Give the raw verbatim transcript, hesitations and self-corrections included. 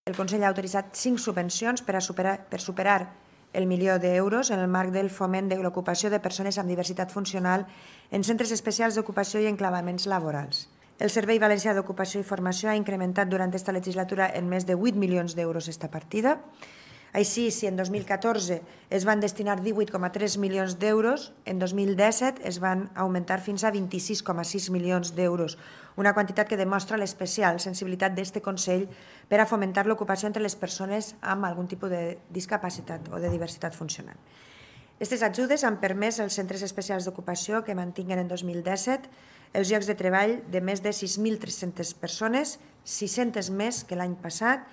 el Consell ha autoritzat cinc subvencions per, a superar, per superar el milió d'euros en el marc del foment de l'ocupació de persones amb diversitat funcional en centres especials d'ocupació i enclavaments laborals. El Servei Valencià d'Ocupació i Formació ha incrementat durant aquesta legislatura en més de vuit milions d'euros aquesta partida. Així, si en dos mil catorze es van destinar divuit coma tres milions d'euros, en dos mil disset es van augmentar fins a vint-i-sis coma sis milions d'euros, una quantitat que demostra l'especial sensibilitat d'aquest Consell per a fomentar l'ocupació entre les persones amb algun tipus de discapacitat o de diversitat funcional. Aquestes ajudes han permès als centres especials d'ocupació que mantinguen en dos mil disset els llocs de treball de més de sis mil tres-centes persones, sis-centes més que l'any passat,